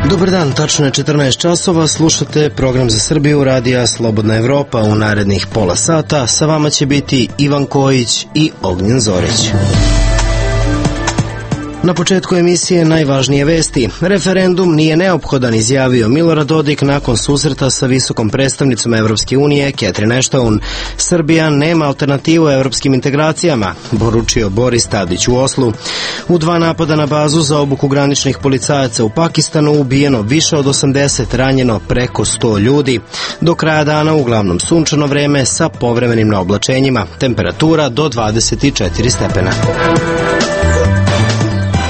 Dobar dan, tačno je 14 časova, slušate program za Srbiju radija Slobodna Evropa. U narednih pola sata sa vama će biti Ivan Kojić i Ognjen Zorić. Na početku emisije najvažnije vesti. Referendum nije neophodan, izjavio Milorad Dodik nakon susreta sa visokom predstavnicom Evropske unije Catherine Ashton. Srbija nema alternativu evropskim integracijama, poručio Boris Tadić u Oslu. U 2 napada na bazu za obuku graničnih policajaca u Pakistanu ubijeno više od 80, ranjeno preko 100 ljudi. Do kraja dana uglavnom sunčano vreme sa povremenim naoblačenjima, temperatura do 24 stepena.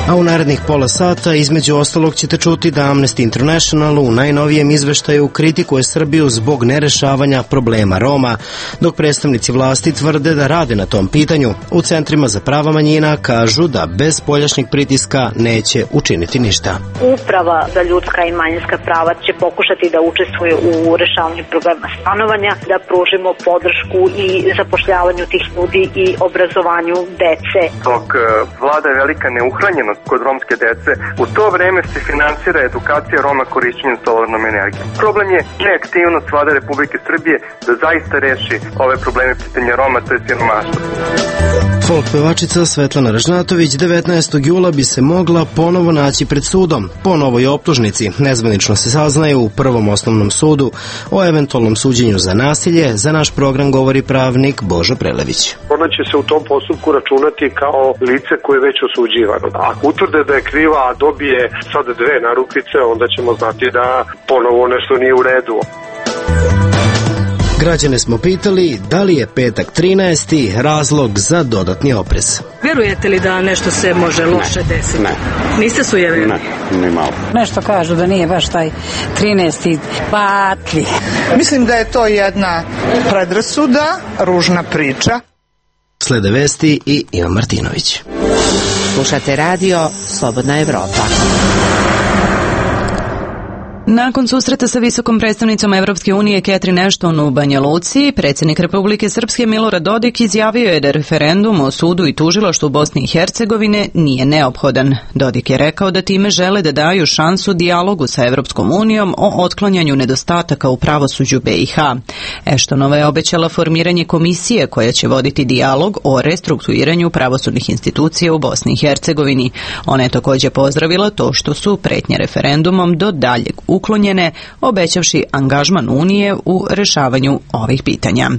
A u narednih pola sata između ostalog ćete čuti da Amnesty International u najnovijem izveštaju kritikuje Srbiju zbog nerešavanja problema Roma, dok predstavnici vlasti tvrde da rade na tom pitanju. U centrima za prava manjina kažu da bez spoljašnjeg pritiska neće učiniti ništa. Uprava za ljudska i manjinska prava će pokušati da učestvuje u rešavanju problema stanovanja, da pružimo podršku i zapošljavanju tih ljudi i obrazovanju dece. Dok vlada je velika neuhranjenost kod romske dece, u to vreme se finansira edukacija Roma korišćenjem solarnom energijom. Problem je neaktivnost vlade Republike Srbije da zaista reši ove probleme pitanja Roma, to je siromaštvo. Folk pevačica Svetlana Ražnatović 19. jula bi se mogla ponovo naći pred sudom po novoj optužnici. Nezvanično se saznaje u Prvom osnovnom sudu o eventualnom suđenju za nasilje. Za naš program govori pravnik Božo Prelević. Ona će se u tom postupku računati kao lice koje je već osuđivano. Ako utvrde da je kriva, a dobije sad 2 narukvice, onda ćemo znati da ponovo nešto nije u redu. Građane smo pitali da li je petak 13. razlog za dodatni oprez. Vjerujete li da nešto se može loše desiti? Ne. Niste sujevjerni? Ne, ni malo. Nešto kažu da nije baš taj 13. patli. Mislim da je to jedna predrasuda, ružna priča. Slede vesti i Ivan Martinović. Slušate radio Slobodna Evropa. Nakon susreta sa visokom predstavnicom Evropske unije Catherine Ashton u Banja Luci, predsjednik Republike Srpske Milorad Dodik izjavio je da referendum o sudu i tužilaštvu Bosne i Hercegovine nije neophodan. Dodik je rekao da time žele da daju šansu dijalogu sa Evropskom unijom o otklanjanju nedostataka u pravosuđu BiH. Ashtonova je obećala formiranje komisije koja će voditi dijalog o restrukturiranju pravosudnih institucija u Bosni i Hercegovini. Ona je također pozdravila to što su pretnje referendumom do daljeg uklonjene, obećavši angažman Unije u rešavanju ovih pitanja.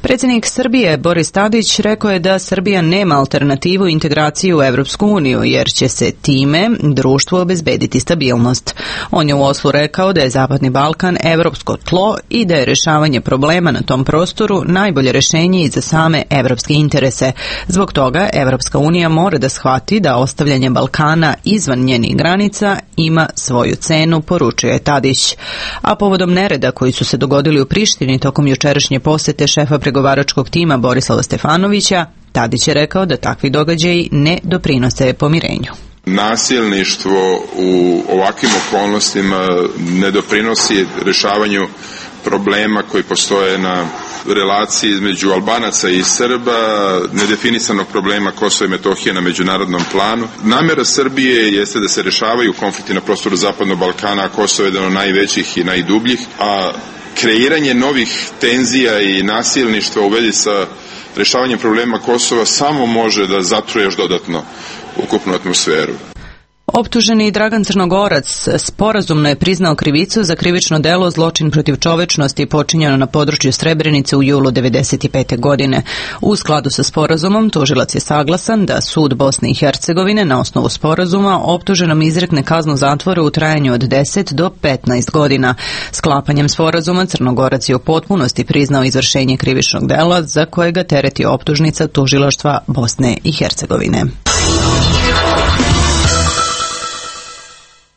Predsjednik Srbije Boris Tadić rekao je da Srbija nema alternativu integraciji u Evropsku uniju, jer će se time društvu obezbediti stabilnost. On je u Oslu rekao da je Zapadni Balkan evropsko tlo i da je rešavanje problema na tom prostoru najbolje rješenje i za same evropske interese. Zbog toga Evropska unija mora da shvati da ostavljanje Balkana izvan njenih granica ima svoju cenu, poručuje Tadić. A povodom nereda koji su se dogodili u Prištini tokom jučerašnje posete šefa pregovaračkog tima Borislava Stefanovića, Tadić je rekao da takvi događaji ne doprinose pomirenju. Nasilništvo u ovakvim okolnostima ne doprinosi rješavanju problema koji postoje na relaciji između Albanaca i Srba, nedefinisanog problema Kosova i Metohije na međunarodnom planu. Namjera Srbije jeste da se rješavaju konflikti na prostoru Zapadnog Balkana, a Kosovo je jedan od najvećih i najdubljih, a kreiranje novih tenzija i nasilništva u vezi sa rješavanjem problema Kosova samo može da zatruje još dodatno ukupnu atmosferu. Optuženi Dragan Crnogorac sporazumno je priznao krivicu za krivično delo zločin protiv čovečnosti počinjeno na području Srebrenice u julu 1995. godine. U skladu sa sporazumom tužilac je saglasan da sud Bosne i Hercegovine na osnovu sporazuma optuženom izrekne kaznu zatvora u trajanju od 10 do 15 godina. Sklapanjem sporazuma Crnogorac je u potpunosti priznao izvršenje krivičnog dela za kojega tereti optužnica tužilaštva Bosne i Hercegovine.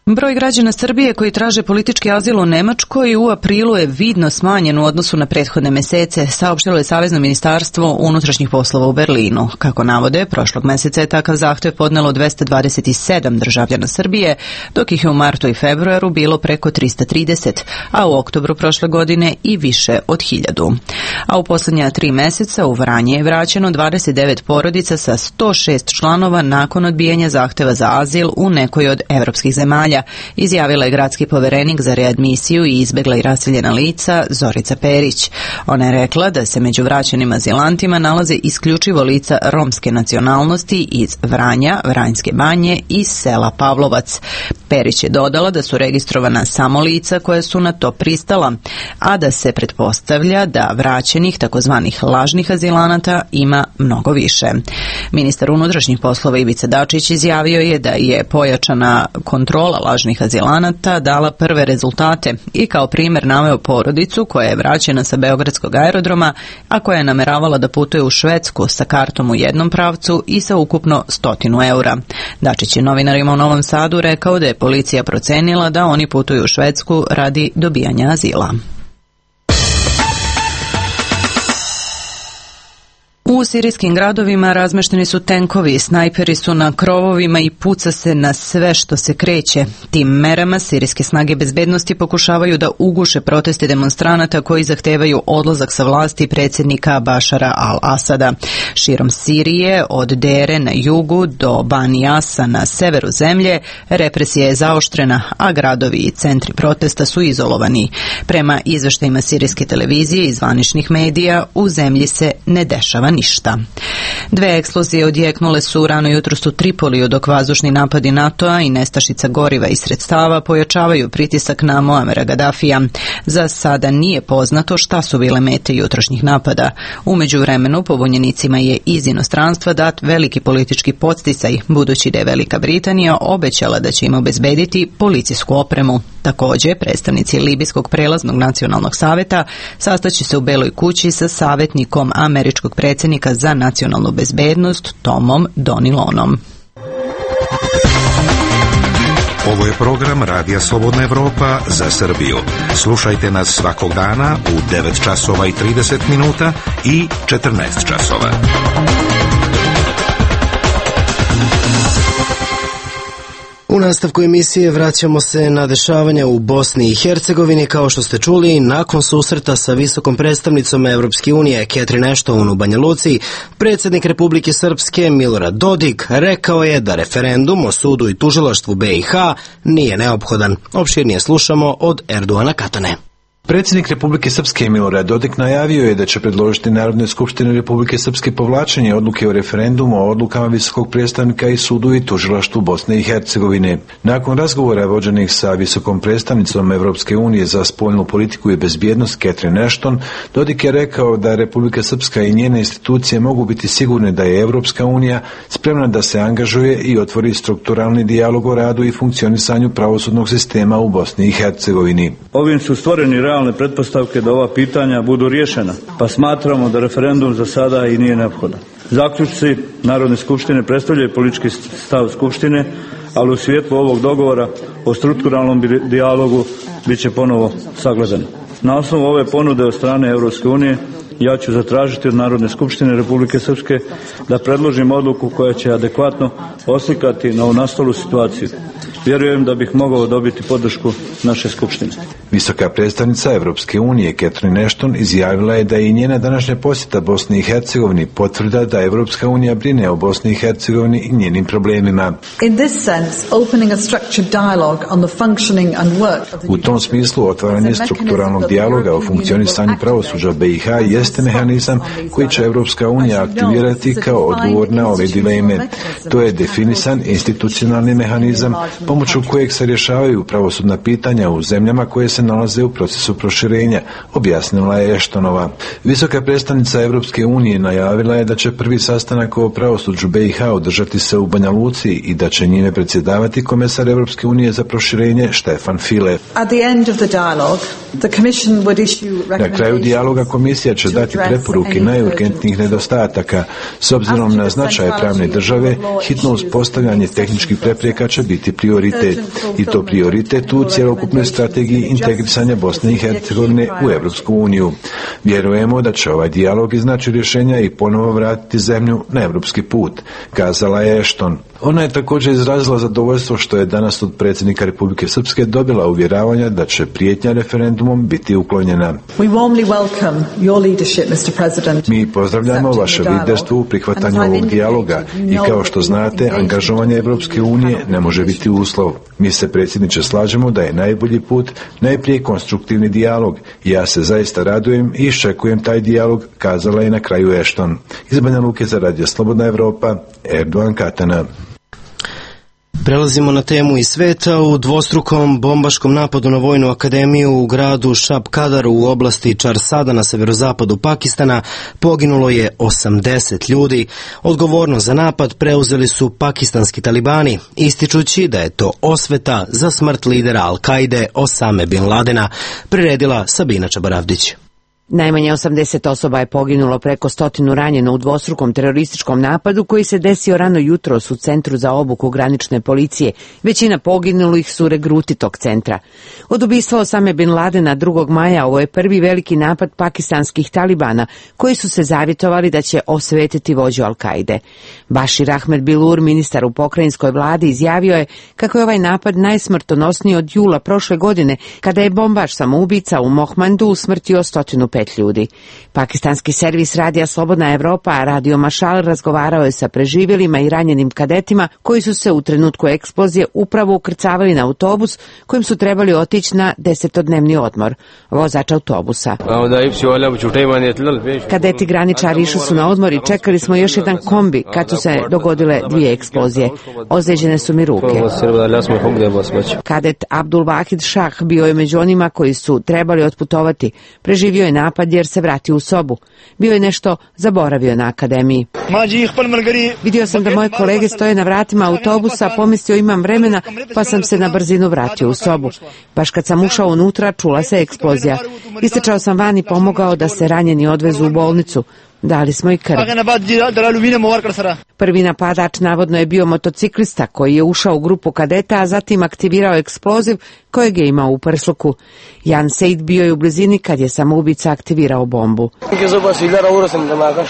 Broj građana Srbije koji traže politički azil u Nemačkoj u aprilu je vidno smanjen u odnosu na prethodne mesece, saopštilo je Savezno ministarstvo unutrašnjih poslova u Berlinu. Kako navode, prošlog meseca je takav zahtev podnelo 227 državljana Srbije, dok ih je u martu i februaru bilo preko 330, a u oktobru prošle godine i više od 1000. A u posljednja 3 meseca u Vranje je vraćeno 29 porodica sa 106 članova nakon odbijanja zahteva za azil u nekoj od evropskih zemalja, izjavila je gradski poverenik za readmisiju i izbegla i raseljena lica Zorica Perić. Ona je rekla da se među vraćenim azilantima nalaze isključivo lica romske nacionalnosti iz Vranja, Vranjske Banje i sela Pavlovac. Perić je dodala da su registrovana samo lica koja su na to pristala, a da se pretpostavlja da vraćenih takozvanih lažnih azilanata ima mnogo više. Ministar unutrašnjih poslova Ivica Dačić izjavio je da je pojačana kontrola lažnih azilanata dala prve rezultate i kao primjer naveo porodicu koja je vraćena sa beogradskog aerodroma, a koja je nameravala da putuje u Švedsku sa kartom u jednom pravcu i sa ukupno 100 eura. Dačić je novinarima u Novom Sadu rekao da je policija procenila da oni putuju u Švedsku radi dobijanja azila. U sirijskim gradovima razmešteni su tenkovi, snajperi su na krovovima i puca se na sve što se kreće. Tim merama sirijske snage bezbednosti pokušavaju da uguše proteste demonstranata koji zahtevaju odlazak sa vlasti predsjednika Bašara al-Asada. Širom Sirije, od Dere na jugu do Banijasa na severu zemlje, represija je zaoštrena, a gradovi i centri protesta su izolovani. Prema izveštajima sirijske televizije i zvaničnih medija, u zemlji se ne dešava ništa. 2 eksplozije odjeknule su rano jutros u Tripoliju, dok vazdušni napadi NATO-a i nestašica goriva i sredstava pojačavaju pritisak na Muamera Gadafija. Za sada nije poznato šta su bile mete jutrošnjih napada. U međuvremenu pobunjenicima je iz inostranstva dat veliki politički podsticaj, budući da je Velika Britanija obećala da će im obezbediti policijsku opremu. Također, predstavnici Libijskog prelaznog nacionalnog saveta sastaće se u Beloj kući sa savjetnikom američkog predsjednika za nacionalnu bezbednost Tomom Donilonom. Ovo je program Radija Slobodna Evropa za Srbiju. Slušajte nas svakog dana u 9 časova i 30 minuta i 14 časova. U nastavku emisije vraćamo se na dešavanja u Bosni i Hercegovini. Kao što ste čuli, nakon susreta sa visokom predstavnicom Evropske unije Catherine Ashton u Banja Luci, predsjednik Republike Srpske Milorad Dodik rekao je da referendum o sudu i tužilaštvu BiH nije neophodan. Opširnije slušamo od Erdoana Katane. Predsjednik Republike Srpske Milorad Dodik najavio je da će predložiti Narodnoj skupštini Republike Srpske povlačenje odluke o referendumu o odlukama visokog predstavnika i sudu i tužilaštvu Bosne i Hercegovine. Nakon razgovora vođenih sa visokom predstavnicom Evropske unije za spoljnu politiku i bezbjednost Catherine Ashton, Dodik je rekao da Republika Srpska i njene institucije mogu biti sigurne da je Evropska unija spremna da se angažuje i otvori strukturalni dijalog o radu i funkcionisanju pravosudnog sistema u Bosni i Hercegovini. Ovim su stvoreni realne pretpostavke da ova pitanja budu riješena, pa smatramo da referendum za sada i nije neophodan. Zaključci Narodne skupštine predstavljaju politički stav Skupštine, ali u svijetlu ovog dogovora o strukturalnom dijalogu bit će ponovo sagledani. Na osnovu ove ponude od strane Evropske unije ja ću zatražiti od Narodne skupštine Republike Srpske da predložim odluku koja će adekvatno oslikati na nastalu situaciju. Vjerujem da bih mogao dobiti podršku naše skupštine. Visoka predstavnica Evropske unije Catherine Ashton izjavila je da je i njena današnja posjeta Bosni i Hercegovini potvrda da Evropska unija brine o Bosni i Hercegovini i njenim problemima. U tom smislu otvaranje strukturalnog dijaloga o funkcionisanju pravosuđa BiH jeste mehanizam koji će Evropska unija aktivirati kao odgovor na ove dileme. To je definisan institucionalni mehanizam pomoću kojeg se rješavaju pravosudna pitanja u zemljama koje se nalaze u procesu proširenja, objasnila je Ashtonova. Visoka predstavnica Evropske unije najavila je da će prvi sastanak o pravosuđu BiH održati se u Banja Luci i da će njime predsjedavati komesar Evropske unije za proširenje Stefan Füle. Na kraju dijaloga komisija će dati preporuke najurgentnijih nedostataka. S obzirom na značaj pravne države, hitno uspostavljanje tehničkih prepreka će biti prioritet. I to prioritet u cjelokupnoj strategiji integrisanja Bosne i Hercegovine u Evropsku uniju. Vjerujemo da će ovaj dijalog iznaći rješenja i ponovo vratiti zemlju na evropski put, kazala je Ashton. Ona je također izrazila zadovoljstvo što je danas od predsjednika Republike Srpske dobila uvjeravanja da će prijetnja referendumom biti uklonjena. Mi pozdravljamo vaše liderstvo u prihvatanju ovog dijaloga i kao što znate, angažovanje Evropske unije ne može biti uslov. Mi se, predsjedniče, slažemo da je najbolji put najprije konstruktivni dijalog. Ja se zaista radujem i iščekujem taj dijalog, kazala je na kraju Ashton. Iz Banja Luke za Radio Slobodna Evropa, Erdogan Katana. Prelazimo na temu iz sveta. U dvostrukom bombaškom napadu na Vojnu akademiju u gradu Šab-Kadaru u oblasti Čarsada na severozapadu Pakistana poginulo je 80 ljudi. Odgovornost za napad preuzeli su pakistanski talibani, ističući da je to osveta za smrt lidera Al-Kaide Osame Bin Ladena, priredila Sabina Čabaravdić. Najmanje 80 osoba je poginulo, preko 100 ranjeno u dvostrukom terorističkom napadu koji se desio rano jutros u centru za obuku granične policije. Većina poginulih su regruti tog centra. Od ubistva Osame Bin Ladena 2. maja ovo je prvi veliki napad pakistanskih talibana koji su se zavjetovali da će osvetiti vođu Al-Kaide. Bashir Ahmed Bilur, ministar u pokrajinskoj vladi, izjavio je kako je ovaj napad najsmrtonosniji od jula prošle godine, kada je bombaš samoubica u Mohmandu usmrtio 105 ljudi. Pakistanski servis Radija Slobodna Evropa, Radio Mašal, razgovarao je sa preživjelima i ranjenim kadetima koji su se u trenutku eksplozije upravo ukrcavali na autobus kojim su trebali otići na 10-dnevni odmor. Vozač autobusa: kadeti graničari išli su na odmor i čekali smo još jedan kombi kad su se dogodile 2 eksplozije. Ozlijeđene su mi ruke. Kadet Abdul Wahid Shah bio je među onima koji su trebali otputovati. Preživio je napad jer se vratio u sobu. Bio je nešto zaboravio na akademiji. Vidio sam da moje kolege stoje na vratima autobusa, pomislio imam vremena, pa sam se na brzinu vratio u sobu. Baš kad sam ušao unutra, čula se eksplozija. Istrčao sam van i pomogao da se ranjeni odvezu u bolnicu. Dali smo i krv. Prvi napadač navodno je bio motociklista koji je ušao u grupu kadeta, a zatim aktivirao eksploziv kojeg je imao u prsluku. Jan Seid bio je u blizini kad je samoubica aktivirao bombu.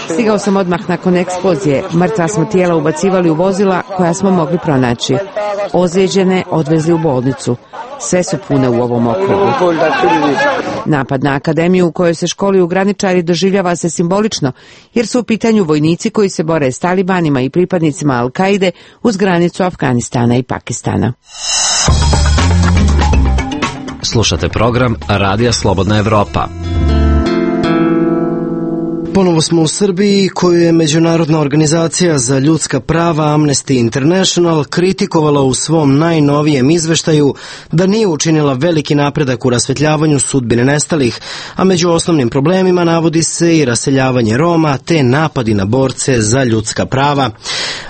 Stigao sam odmah nakon eksplozije. Mrtva smo tijela ubacivali u vozila koja smo mogli pronaći. Ozlijeđene odvezli u bolnicu. Sve su pune u ovom okrugu. Napad na akademiju u kojoj se školuju graničari doživljava se simbolično, jer su u pitanju vojnici koji se bore s talibanima i pripadnicima Al-Kaide uz granicu Afganistana i Pakistana. Slušate program Radija Slobodna Evropa. Ponovo smo u Srbiji, koju je Međunarodna organizacija za ljudska prava Amnesty International kritikovala u svom najnovijem izveštaju da nije učinila veliki napredak u rasvetljavanju sudbine nestalih, a među osnovnim problemima navodi se i raseljavanje Roma te napadi na borce za ljudska prava.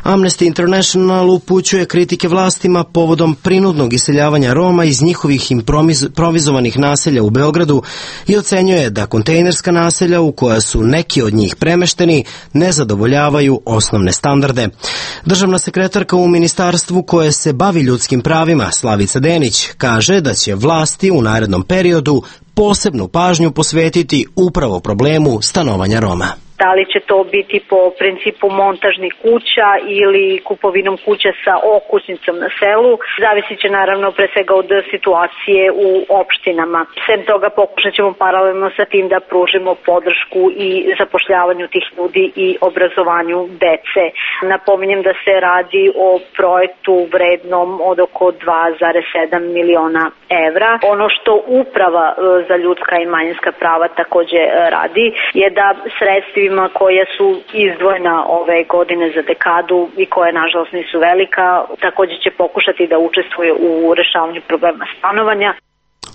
Amnesty International upućuje kritike vlastima povodom prinudnog iseljavanja Roma iz njihovih improvizovanih naselja u Beogradu i ocenjuje da kontejnerska naselja u koja su neki od njih premešteni ne zadovoljavaju osnovne standarde. Državna sekretarka u ministarstvu koje se bavi ljudskim pravima, Slavica Denić, kaže da će vlasti u narednom periodu posebnu pažnju posvetiti upravo problemu stanovanja Roma. Da li će to biti po principu montažnih kuća ili kupovinom kuća sa okućnicom na selu, zavisit će naravno pre svega od situacije u opštinama. Sem toga pokušat ćemo paralelno sa tim da pružimo podršku i zapošljavanju tih ljudi i obrazovanju dece. Napominjem da se radi o projektu vrednom od oko 2,7 miliona evra. Ono što Uprava za ljudska i manjinska prava takođe radi je da sredstva koja su izdvojena ove godine za dekadu i koje nažalost nisu velika, također će pokušati da učestvuje u rešavanju problema stanovanja.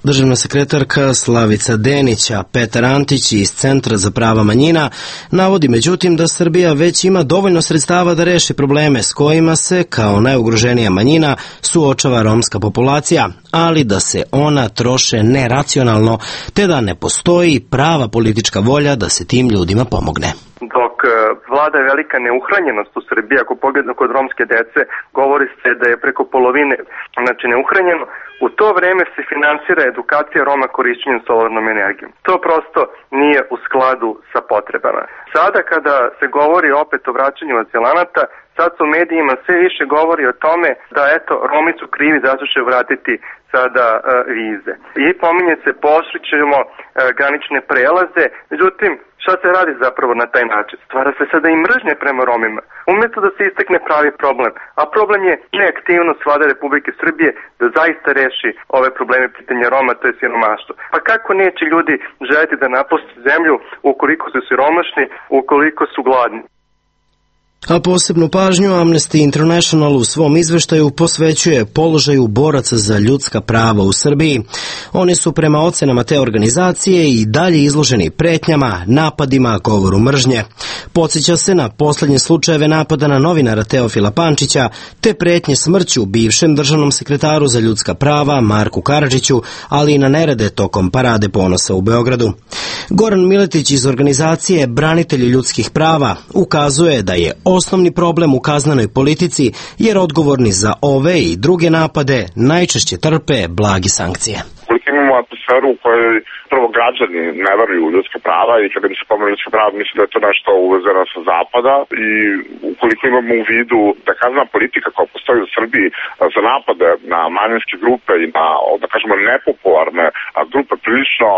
Državna sekretarka Slavica Denić, a Petar Antić iz Centra za prava manjina navodi međutim da Srbija već ima dovoljno sredstava da reši probleme s kojima se, kao najugroženija manjina, suočava romska populacija, ali da se ona troše neracionalno, te da ne postoji prava politička volja da se tim ljudima pomogne. Dok vlada velika neuhranjenost u Srbiji, ako pogledamo kod romske dece, govori se da je preko polovine neuhranjeno, u to vreme se finansira edukacija Roma korišćenjem solarnom energijom. To prosto nije u skladu sa potrebama. Sada kada se govori opet o vraćanju azilanata, sad su u medijima sve više govori o tome da eto, Romi su krivi zato će vratiti sada vize. I pominje se pooštrit ćemo granične prelaze, međutim šta se radi zapravo na taj način? Stvara se sada i mržnje prema Romima, umjesto da se istakne pravi problem. A problem je neaktivnost vlade Republike Srbije da zaista reši ove probleme pitanja Roma, to je siromaštvo. Pa kako neće ljudi želiti da napuste zemlju ukoliko su siromašni, ukoliko su gladni? A posebnu pažnju Amnesty International u svom izveštaju posvećuje položaju boraca za ljudska prava u Srbiji. Oni su prema ocenama te organizacije i dalje izloženi pretnjama, napadima, govoru mržnje. Podsjeća se na posljednje slučajeve napada na novinara Teofila Pančića, te pretnje smrću bivšem državnom sekretaru za ljudska prava Marku Karadžiću, ali i na nerede tokom Parade ponosa u Beogradu. Goran Miletić iz organizacije Branitelji ljudskih prava ukazuje da je osnovni problem u kaznenoj politici jer odgovorni za ove i druge napade najčešće trpe blage sankcije. Imamo atmosferu u kojoj prvo građani ne veruju u ljudska prava i kada bi se pomenu ljudska prava mislim da je to nešto uvezeno sa zapada i ukoliko imamo u vidu da kaznena politika koja postoji u Srbiji za napade na manjinske grupe i na, da kažemo, nepopularne grupe prilično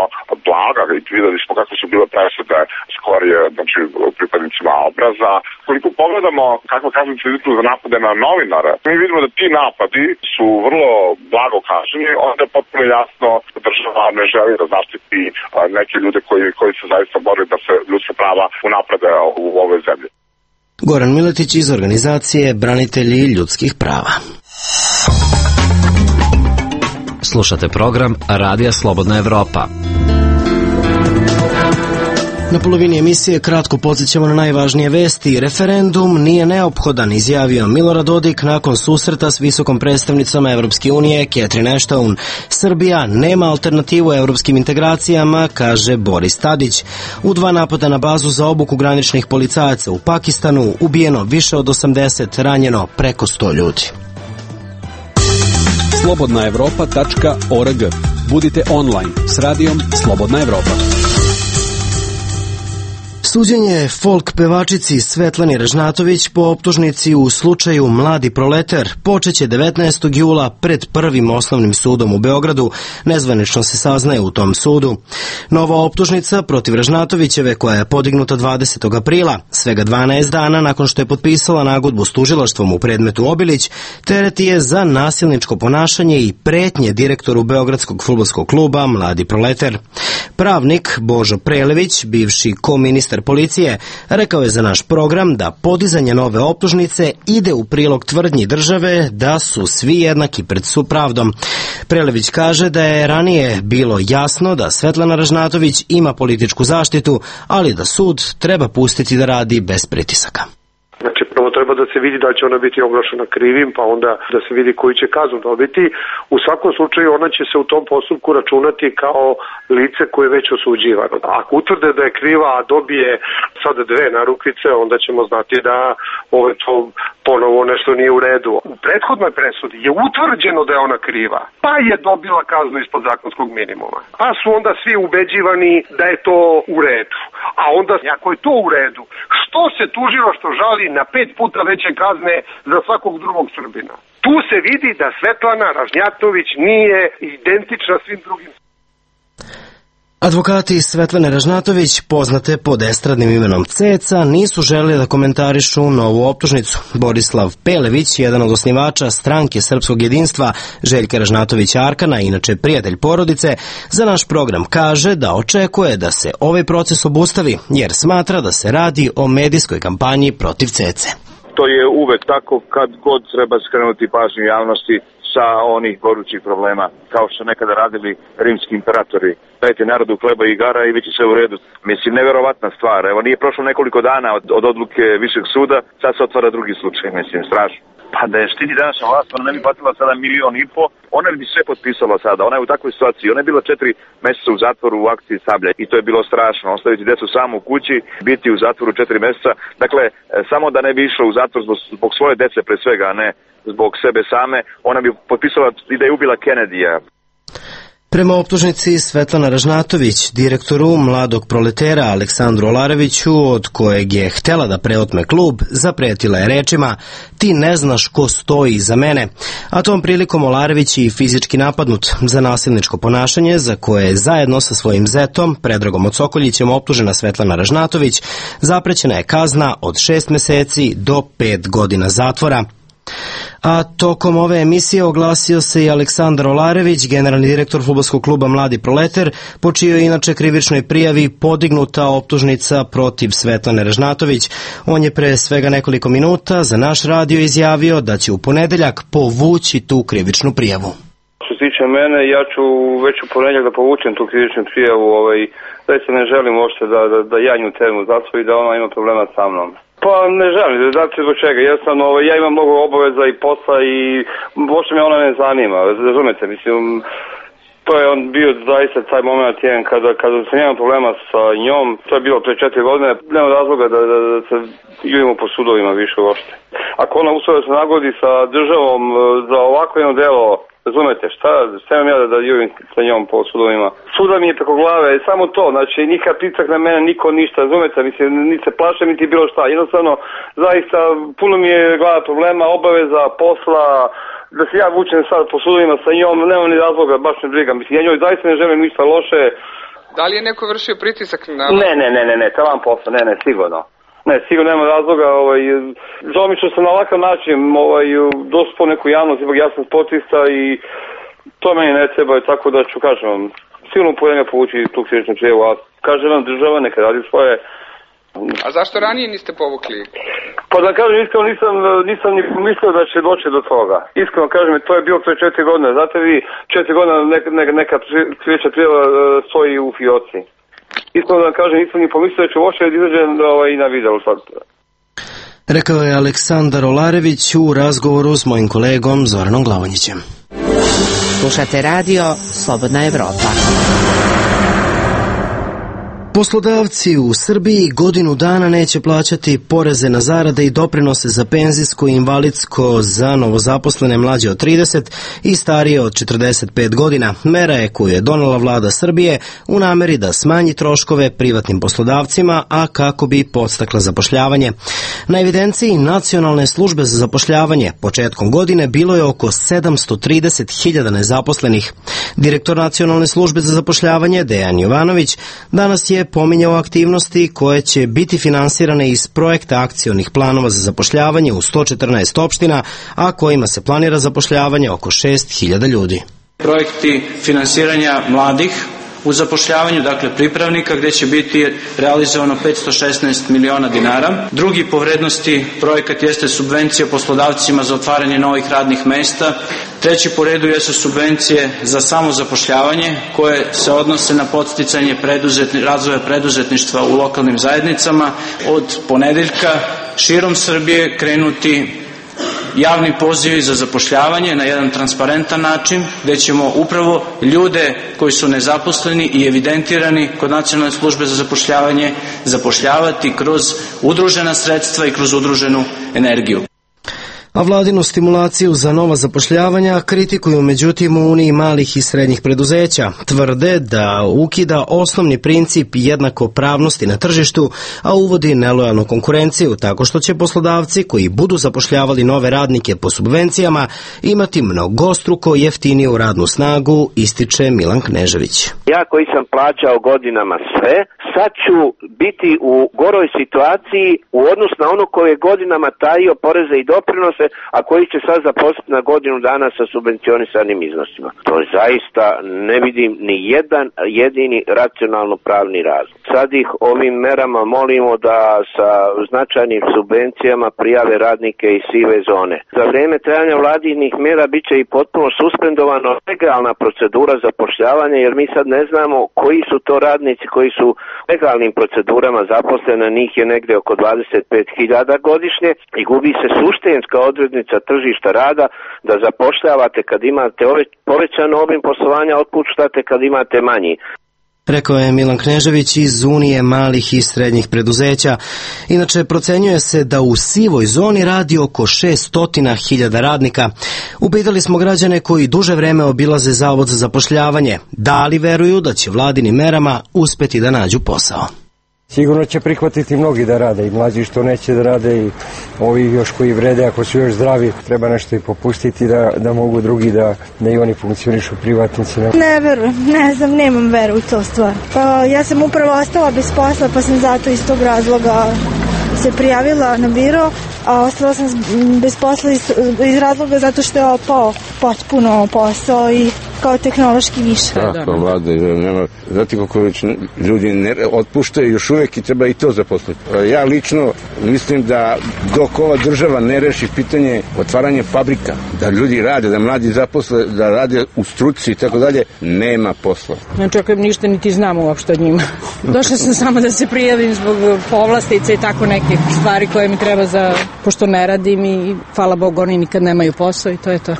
blaga i videli smo kako su bile presude skorije, znači pripadnicima obraza. Koliko pogledamo kakva kaznena politika za napade na novinare, mi vidimo da ti napadi su vrlo blago kažnjeni, onda je potpuno jasno država ne želi da zaštiti neke ljude koji se zaista bore da se ljudska prava unaprede u ovoj zemlji. Goran Miletić iz organizacije Branitelji ljudskih prava. Slušate program Radija Slobodna Evropa. Na polovini emisije kratko podsjećamo na najvažnije vesti. Referendum nije neophodan, izjavio Milorad Dodik nakon susreta s visokom predstavnicom Evropske unije Catherine Ashton. Srbija nema alternativu evropskim integracijama, kaže Boris Tadić. U 2 napada na bazu za obuku graničnih policajaca u Pakistanu ubijeno više od 80, ranjeno preko 100 ljudi. slobodnaevropa.org. Budite online s radijom Slobodna Evropa. Suđenje folk pevačici Svetlani Ražnatović po optužnici u slučaju Mladi proletar počeće 19. jula pred Prvim osnovnim sudom u Beogradu, nezvanično se saznaje u tom sudu. Nova optužnica protiv Ražnatovićeve, koja je podignuta 20. aprila, svega 12 dana nakon što je potpisala nagodbu s tužilaštvom u predmetu Obilić, tereti je za nasilničko ponašanje i pretnje direktoru Beogradskog fudbalskog kluba Mladi proletar. Pravnik Božo Prelević, bivši koministar policije, rekao je za naš program da podizanje nove optužnice ide u prilog tvrdnji države da su svi jednaki pred pravdom. Prelević kaže da je ranije bilo jasno da Svetlana Ražnatović ima političku zaštitu, ali da sud treba pustiti da radi bez pritisaka. Znači, prvo treba da se vidi da će ona biti oglašena krivim, pa onda da se vidi koju će kaznu dobiti. U svakom slučaju ona će se u tom postupku računati kao lice koje je već osuđivano. Ako utvrde da je kriva, a dobije sada 2 narukvice, onda ćemo znati da to ponovo nešto nije u redu. U prethodnoj presudi je utvrđeno da je ona kriva, pa je dobila kaznu ispod zakonskog minimuma. Pa su onda svi ubeđivani da je to u redu. A onda, ako je to u redu, što se tužilo što žali na 5 puta veće kazne za svakog drugog Srbina? Tu se vidi da Svetlana Ražnjatović nije identična svim drugim. Advokati Svetlane Ražnatović, poznate pod estradnim imenom Ceca, nisu želeli da komentarišu novu optužnicu. Borislav Pelević, jedan od osnivača stranke Srpskog jedinstva Željka Ražnatovića Arkana, inače prijatelj porodice, za naš program kaže da očekuje da se ovaj proces obustavi, jer smatra da se radi o medijskoj kampanji protiv Cece. To je uvek tako kad god treba skrenuti pažnju javnosti. sa onih gorućih problema, kao što nekada radili rimski imperatori. Dajte narodu hleba i igara i bit će sve u redu. Mislim, neverovatna stvar. Evo, nije prošlo nekoliko dana od odluke Višeg suda, sad se otvara drugi slučaj, mislim, strašno. Pa da je štiti današnja vlast, ona ne bi platila sada 1,5 miliona, ona bi sve potpisala sada, ona je u takvoj situaciji, ona je bila 4 meseca u zatvoru u akciji Sablja i to je bilo strašno, ostaviti decu samo u kući, biti u zatvoru 4 meseca, dakle, samo da ne bi išla u zatvor zbog svoje dece pre svega, a ne zbog sebe same, ona bi potpisala i da je ubila Kennedyja. Prema optužnici Svetlana Ražnatović, direktoru Mladog proletera Aleksandru Olareviću, od kojeg je htela da preotme klub, zapretila je rečima: "Ti ne znaš ko stoji iza mene." A tom prilikom Olarević je i fizički napadnut. Za nasilničko ponašanje, za koje je zajedno sa svojim zetom, Predragom Odsokoljićem, optužena Svetlana Ražnatović, zaprećena je kazna od 6 meseci do 5 godina zatvora. A tokom ove emisije oglasio se i Aleksandar Olarević, generalni direktor fudbalskog kluba Mladi proleter, po čijoj inače krivičnoj prijavi podignuta optužnica protiv Svetlane Ražnatović. On je pre svega nekoliko minuta za naš radio izjavio da će u ponedeljak povući tu krivičnu prijavu. Što se tiče mene, ja ću već u ponedeljak da povučem tu krivičnu prijavu, da se ne želim uopšte da ja nju termu zatvori i da ona ima problema sa mnom. Pa ne želim, znači zbog čega, jednostavno ja imam mnogo obaveza i posla i uopšte me ona ne zanima, razumete, mislim, to je on bio zaista taj moment jedan kada sam imao problema sa njom, to je bilo pre 4 godine, nema razloga da se jurimo po sudovima više uopšte. Ako ona uspela da se nagodi sa državom za ovako jedno delo, razumete, šta imam ja da jurim sa njom po sudovima? Suda mi je preko glave, samo to, znači nikad pritisak na mene, niko ništa, razumete, mislim, niti se plašem, niti bilo šta, jednostavno, zaista, puno mi je glava problema, obaveza, posla, da se ja vučem sad po sudovima sa njom, nema ni razloga, baš ne briga, mislim, ja njoj zaista ne želim ništa loše. Da li je neko vršio pritisak na... Ne, taman posla, ne, sigurno. Ne, sigurno nema razloga, žao mi što sam na ovakav način dospao neku javnost, ipak ja sam sportista i to meni ne treba, tako da ću, kažem vam, sigurno pojedinja povući tu krivičnu prijavu, a kažem vam, država neka radi svoje. A zašto ranije niste povukli? Pa da kažem, iskreno nisam ni mislio da će doći do toga. Iskreno kažem, to je bilo pre 4 godine, znate vi, 4 godine neka krivična prijava stoji u fioci. Iskreno da kažem, nisam ni pomislio da ću uopšte izađem i na video sad. Rekao je Aleksandar Olarević u razgovoru s mojim kolegom Zoranom Glavonjićem. Slušate radio Slobodna Evropa. Poslodavci u Srbiji godinu dana neće plaćati poreze na zarade i doprinose za penzijsko i invalidsko za novozaposlene mlađe od 30 i starije od 45 godina. Mera je koju je donela vlada Srbije u nameri da smanji troškove privatnim poslodavcima, a kako bi podstakla zapošljavanje. Na evidenciji Nacionalne službe za zapošljavanje početkom godine bilo je oko 730.000 nezaposlenih. Direktor Nacionalne službe za zapošljavanje Dejan Jovanović danas je pominjao aktivnosti koje će biti finansirane iz projekta akcionih planova za zapošljavanje u 114 opština, a kojima se planira zapošljavanje oko 6.000 ljudi. Projekti finansiranja mladih u zapošljavanju, dakle pripravnika, gdje će biti realizovano 516 miliona dinara. Drugi po vrednosti projekat jeste subvencija poslodavcima za otvaranje novih radnih mesta. Treći po redu jesu subvencije za samozapošljavanje koje se odnose na podsticanje razvoja preduzetništva u lokalnim zajednicama. Od ponedeljka širom Srbije krenuti javni pozivi za zapošljavanje na jedan transparentan način, gdje ćemo upravo ljude koji su nezaposleni i evidentirani kod Nacionalne službe za zapošljavanje zapošljavati kroz udružena sredstva i kroz udruženu energiju. A vladinu stimulaciju za nova zapošljavanja kritikuju međutim u Uniji malih i srednjih preduzeća. Tvrde da ukida osnovni princip jednakopravnosti na tržištu, a uvodi nelojalnu konkurenciju tako što će poslodavci koji budu zapošljavali nove radnike po subvencijama imati mnogostruko jeftiniju radnu snagu, ističe Milan Knežević. Ja koji sam plaćao godinama sve, sad ću biti u goroj situaciji u odnosu na ono koji je godinama tajio poreze i doprinose a koji će sad zaposliti na godinu dana sa subvencionisanim iznosima. To zaista ne vidim ni jedan jedini racionalno pravni razlog. Sad ih ovim merama molimo da sa značajnim subvencijama prijave radnike iz sive zone. Za vrijeme trajanja vladinih mera bit će i potpuno suspendovano legalna procedura zapošljavanja, jer mi sad ne znamo koji su to radnici koji su legalnim procedurama zaposleni, njih je negdje oko 25.000 godišnje i gubi se suštinska odrednica tržišta rada da zapošljavate kad imate povećan obim poslovanja, otpuštate kad imate manji. Rekao je Milan Knežević iz Unije malih i srednjih preduzeća. Inače, procenjuje se da u sivoj zoni radi oko 600.000 radnika. Upitali smo građane koji duže vreme obilaze Zavod za zapošljavanje, da li veruju da će vladinim merama uspeti da nađu posao. Sigurno će prihvatiti mnogi da rade, i mlađi što neće da rade, i ovi još koji vrede, ako su još zdravi, treba nešto i popustiti da mogu drugi da i oni funkcionišu privatnici. Ne verujem, ne znam, nemam veru u to stvar. Pa ja sam upravo ostala bez posla, pa sam zato iz tog razloga se prijavila na biro, a ostala sam bez posla iz razloga zato što je opao potpuno posao i kao tehnološki više. Tako, vlada, znate kako ljudi ne otpuštaju još uvijek i treba i to zaposliti. Ja lično mislim da dok ova država ne reši pitanje otvaranja fabrika, da ljudi rade, da mladi zaposle, da rade u struci i tako dalje, nema posla. Ne čekam ništa, niti znam uopšte od njima. Došla sam samo da se prijavim zbog povlastica i tako nekih stvari koje mi treba pošto ne radim i hvala Bogu oni nikad nemaju posao i to je to.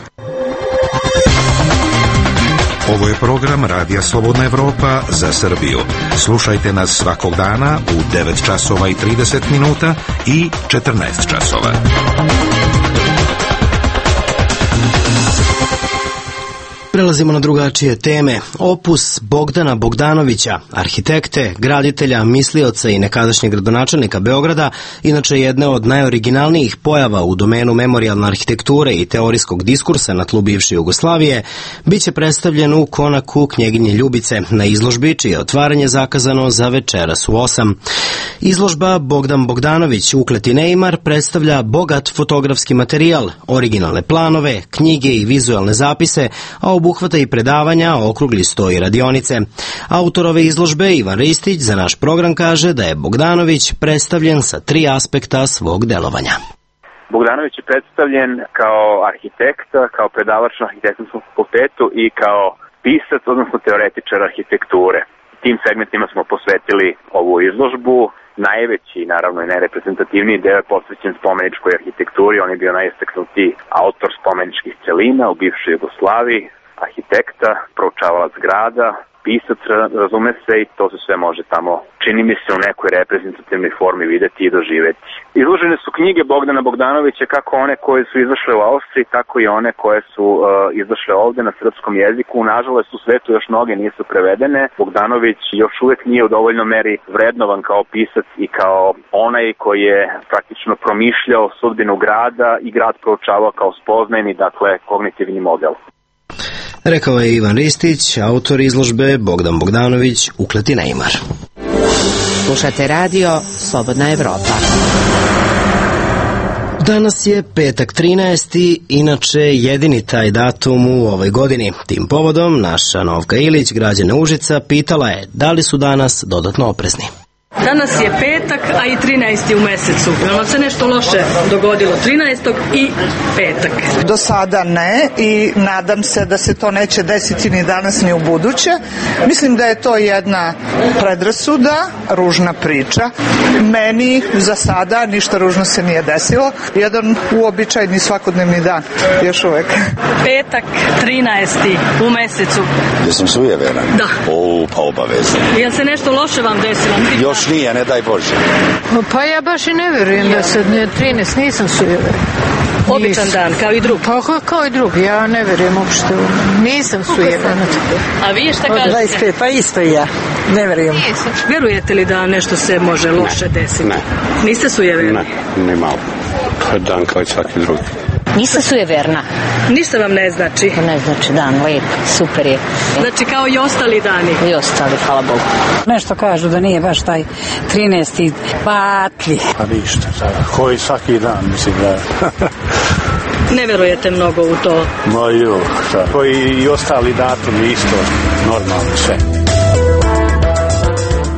Ovo je program Radija Slobodna Evropa za Srbiju. Slušajte nas svakog dana u 9 časova i 30 minuta i 14 časova. Prelazimo na drugačije teme. Opus Bogdana Bogdanovića, arhitekte, graditelja, mislioca i nekadašnjeg gradonačelnika Beograda, inače jedne od najoriginalnijih pojava u domenu memorijalne arhitekture i teorijskog diskursa na tlu bivše Jugoslavije, bit će predstavljen u konaku Knjeginje Ljubice na izložbi, čije je otvaranje zakazano za večeras u 8. Izložba Bogdan Bogdanović ukleti neimar predstavlja bogat fotografski materijal, originalne planove, knjige i vizualne zapise, a obuhvata i predavanja, okrugli sto i radionice. Autor ove izložbe, Ivan Ristić, za naš program kaže da je Bogdanović predstavljen sa 3 aspekta svog delovanja. Bogdanović je predstavljen kao arhitekt, kao predavač na arhitektonskom fakultetu i kao pisac, odnosno teoretičar arhitekture. Tim segmentima smo posvetili ovu izložbu. Najveći, naravno i najreprezentativniji deo je posvećen spomeničkoj arhitekturi. On je bio najistaknutiji autor spomeničkih celina u bivšoj Jugoslaviji, arhitekta, proučavalac grada, pisac, razume se, i to se sve može tamo, čini mi se, u nekoj reprezentativnoj formi videti i doživeti. Izložene su knjige Bogdana Bogdanovića, kako one koje su izašle u Austriji, tako i one koje su izašle ovde na srpskom jeziku. Nažalost, u svetu još mnoge nisu prevedene. Bogdanović još uvek nije u dovoljnoj meri vrednovan kao pisac i kao onaj koji je praktično promišljao sudbinu grada i grad proučavao kao spoznajni, dakle, kognitivni model. Rekao je Ivan Ristić, autor izložbe Bogdan Bogdanović, ukleti neimar. Slušate radio Slobodna Evropa. Danas je petak 13. inače jedini taj datum u ovoj godini. Tim povodom naša Novka Ilić, građana Užica, pitala je da li su danas dodatno oprezni. Danas je petak, a i 13. u mesecu. Jel vam se nešto loše dogodilo 13. i petak? Do sada ne i nadam se da se to neće desiti ni danas ni u buduće. Mislim da je to jedna predrasuda, ružna priča. Meni za sada ništa ružno se nije desilo. Jedan uobičajni svakodnevni dan, još uvek. Petak 13. u mesecu. Jesam sujeveran? Da. Pa obavezno. Jel se nešto loše vam desilo? Još nije, ne daj Bože. Pa ja baš i ne verujem da se 13, nisam sujeveran. Običan dan, kao i drugi. Pa kao i drugi, ja ne verujem uopšte. Nisam sujeveran. A vi šta kažete? 25, pa isto i ja. Ne verujem. Verujete li da nešto se može loše desiti? Ne. Niste sujeverni? Ne malo. To je dan kao i svaki drugi. Nisam sujeverna. Ništa vam ne znači? Ne znači dan, lep, super je. Znači kao i ostali dani? I ostali, hvala Bogu. Nešto kažu da nije baš taj 13. patli. Pa ništa, koji svaki dan, mislim da ne verujete mnogo u to? Ma jo, šta? Koji i ostali datumi isto normalno sve.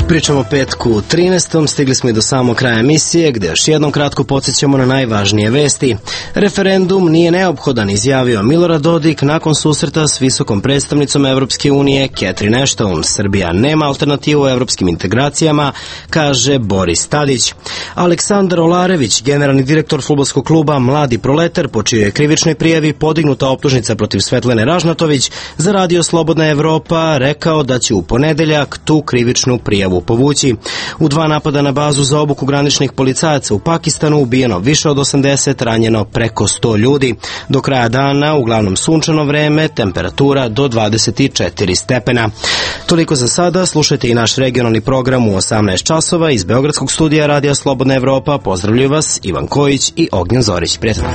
Pričamo o petku 13. Stigli smo i do samog kraja emisije, gde još jednom kratko podsjećamo na najvažnije vesti. Referendum nije neophodan, izjavio Milorad Dodik nakon susreta s visokom predstavnicom Evropske unije Catherine Ashton. Srbija nema alternativu u evropskim integracijama, kaže Boris Tadić. Aleksandar Olarević, generalni direktor fudbalskog kluba Mladi Proletar, po čijoj je krivičnoj prijavi podignuta optužnica protiv Svetlane Ražnatović, za Radio Slobodna Evropa rekao da će u ponedeljak tu krivičnu prijavu povući. U 2 napada na bazu za obuku graničnih policajaca u Pakistanu ubijeno više od 80, ranjeno preko 100 ljudi. Do kraja dana, uglavnom sunčano vreme, temperatura do 24 stepena. Toliko za sada, slušajte i naš regionalni program u 18 časova iz Beogradskog studija Radija Slobodna Evropa. Pozdravljaju vas Ivan Kojić i Ognjen Zorić. Prijatno.